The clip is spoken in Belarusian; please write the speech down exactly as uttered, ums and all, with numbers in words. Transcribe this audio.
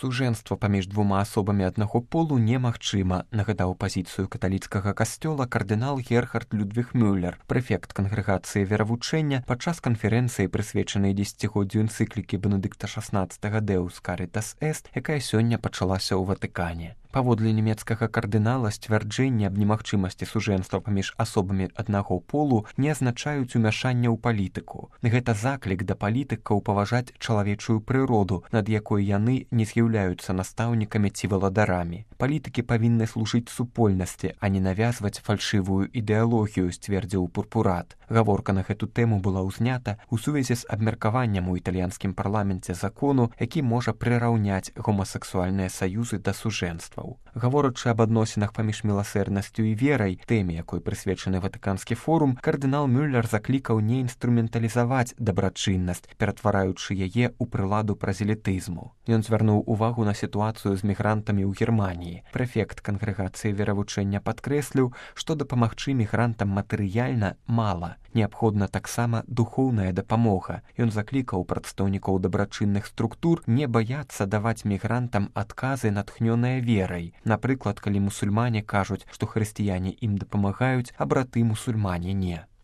Сужэнства паміж двума асобамі аднаго полу немагчыма, нагадаў пазіцыю каталіцкага касцёла кардынал Герхард Людвіг Мюллер, прэфект кангрэгацыі веравучэння падчас канферэнцыі, прысвечанай дзесяцігоддзю энцыклікі Бенедыкта шаснаццатага Deus Caritas Est, якая сёння пачалася ў Ватыкане. Паводле нямецкага кардынала, сцвярджэнні аб немагчымасці сужэнства паміж асобамі аднаго полу не азначаюць умяшання ў палітыку. Гэта заклік да палітыкаў паважаць чалавечую прыроду, над якой яны не з'яўляюцца настаўнікамі ці валадарамі. Палітыкі павінны служыць супольнасці, а не навязваць фальшывую ідэалогію, сцвердзіў Пурпурат. Гаворка на гэту тэму была ўзнята ў сувязі з абмеркаваннем у італьянскім парламенце закону, які можа прыраўняць гомасексуальныя саюзы да сужэнства. Гаворачы аб адносінах паміж міласэрнасцю і верай, тэме, якой прысвечаны Ватыканскі форум, кардынал Мюллер заклікаў не інструменталізаваць дабрачыннасць, ператвараючы яе ў прыладу празелітызму. Ён звярнуў увагу на сітуацыю з мігрантамі ў Германіі. Прэфект кангрэгацыі веравучэння падкрэсліў, што дапамагчы мігрантам матэрыяльна мала. Неабходна таксама духоўная дапамога. Ён заклікаў прадстаўнікоў дабрачынных структур не баяцца даваць мігрантам адказы, натхнёныя верай. Напрыклад, калі мусульмане кажуць, што хрысціяне ім дапамагаюць, а браты мусульмане не.